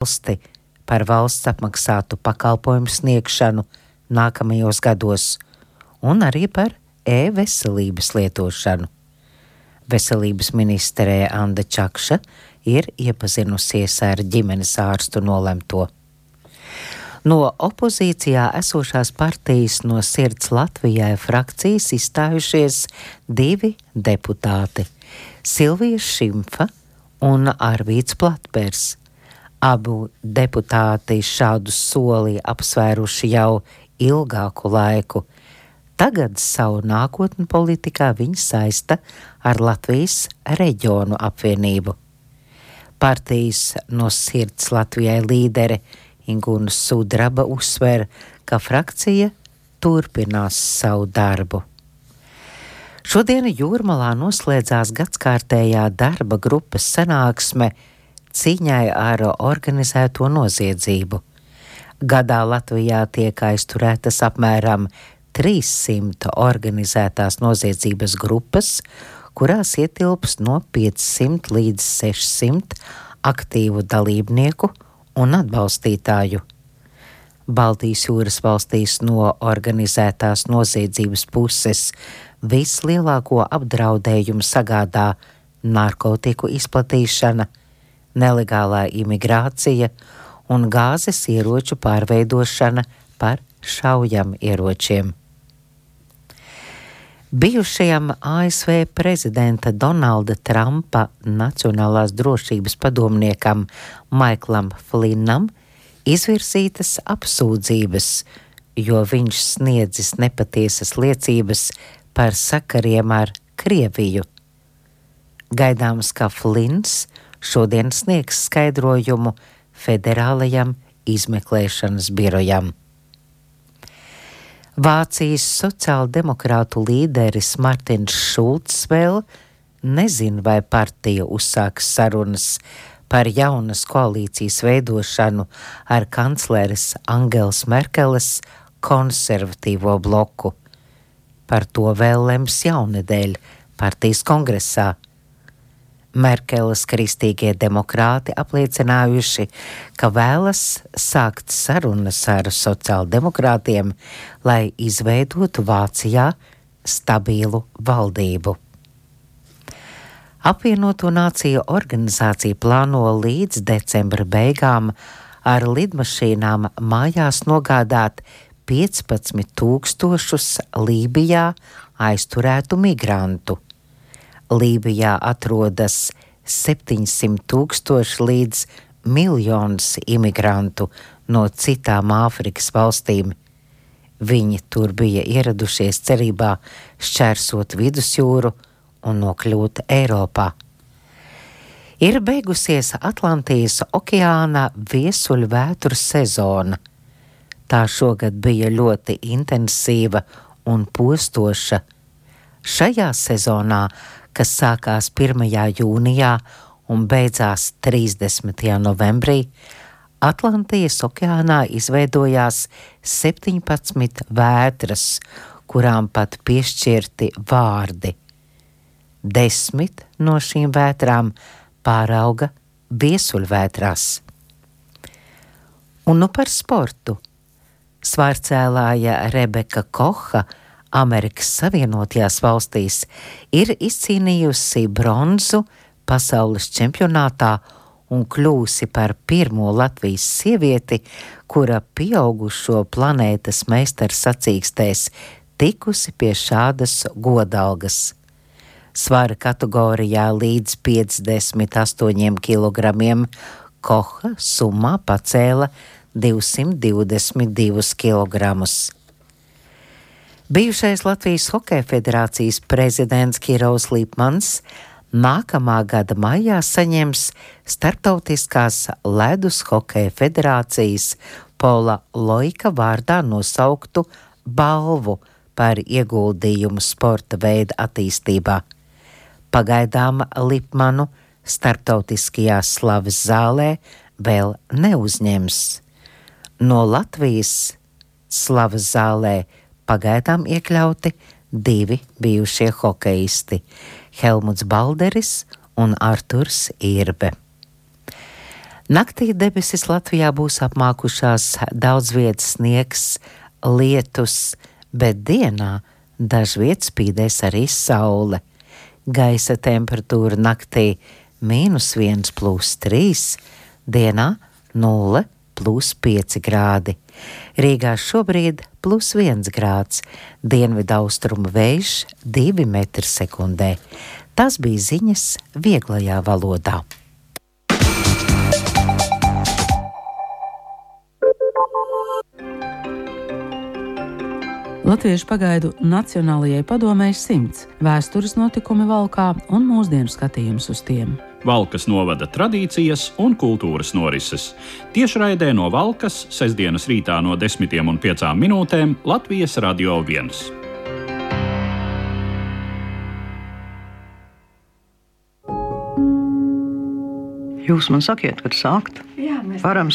valsti par valsts apmaksātu pakalpojumu sniegšanu nākamajos gados un arī par e-veselības lietošanu. Veselības ministrē Anda Čakša ir iepazinusies ar ģimenes ārstu nolemto. No opozīcijā esošās partijas No sirds Latvijai frakcijas izstājušies 2 deputāti – Silvija Šimfa un Arvīds Platbers. Abu deputāti šādu soli apsvēruši jau ilgāku laiku. Tagad savu nākotni politikā viņi saista ar Latvijas reģionu apvienību. Partijas No sirds Latvijai līdere Ingūna Sudraba uzsver, ka frakcija turpinās savu darbu. Šodien Jūrmalā noslēdzās gadskārtējā darba grupas sanāksme cīņai ar organizēto noziedzību. Gadā Latvijā tiek aizturētas apmēram 300 organizētās noziedzības grupas, kurās ietilpst no 500 līdz 600 aktīvu dalībnieku un atbalstītāju. Baltijas jūras valstīs no organizētās noziedzības puses vislielāko apdraudējumu sagādā narkotiku izplatīšana, nelegālā imigrācija un gāzes ieroču pārveidošana par šaujam ieročiem. Bijušajam ASV prezidenta Donalda Trumpa nacionālās drošības padomniekam Maiklam Flinnam izvirzītas apsūdzības, jo viņš sniedzis nepatiesas liecības par sakariem ar Krieviju. Gaidāms, ka Flinns šodien sniegs skaidrojumu Federālajam izmeklēšanas birojam. Vācijas sociāldemokrātu līderis Martins Šulcs vēl nezina, vai partija uzsāks sarunas par jaunas koalīcijas veidošanu ar kancleres Angelas Merkeles konservatīvo bloku. Par to vēl lems jaunedēļ partijas kongresā. Merkeles kristīgie demokrāti apliecinājuši, ka vēlas sākt sarunas ar sociāldemokrātiem, lai izveidotu Vācijā stabilu valdību. Apvienoto Nāciju organizācija plāno līdz decembra beigām ar lidmašīnām mājās nogādāt 15,000 Lībijā aizturētu migrantu. Lībijā atrodas 700,000 līdz 1 miljons imigrantu no citām Āfrikas valstīm. Viņi tur bija ieradušies cerībā šķērsot vidusjūru un nokļūt Eiropā. Ir beigusies Atlantijas okeāna viesuļvētru sezona. Tā šogad bija ļoti intensīva un postoša. Šajā sezonā, kas sākās 1. jūnijā un beidzās 30. novembrī, Atlantijas okeānā izveidojās 17 vētras, kurām pat piešķirti vārdi. 10 no šīm vētrām pārauga viesuļvētrās. Un nu par sportu. Svārcēlāja Rebeka Koha Amerikas Savienotajās valstīs ir izcīnījusi bronzu pasaules čempionātā un kļūsi par pirmo Latvijas sievieti, kura pieaugušo planētas meistarsacīkstēs tikusi pie šādas godalgas. Svara kategorijā līdz 58 kilogramiem Koha summā pacēla 222 kilogramus. Bijušais Latvijas Hokeja federācijas prezidents Kirovs Lipmans nākamā gada maijā saņems Starptautiskās ledus hokeja federācijas Pola Loika vārdā nosauktu balvu par ieguldījumu sporta veida attīstībā. Pagaidām Lipmanu starptautiskajā slavas zālē vēl neuzņems. No Latvijas slavas zālē pagaidām iekļauti 2 bijušie hokeisti – Helmuts Balderis un Arturs Irbe. Naktī debesis Latvijā būs apmākušās, daudz vietas sniegs, lietus, bet dienā dažviet spīdēs arī saule. Gaisa temperatūra naktī -1 + 3, dienā 0 + 5 grādi. Rīgā šobrīd +1 grāds, dienvidaustrumu vējš 2 m/sekundē. Tas bija ziņas vieglajā valodā. Latviešu pagaidu Nacionālajai padomei 100 vēstures notikumi Valkā un mūsdienu skatījums uz tiem. Valkas novada tradīcijas un kultūras norises. Tiešraidē no Valkas sestdienas rītā no 10:05 Latvijas Radio 1. Jūs man sakiet, kad sākt? Jā, mēs varam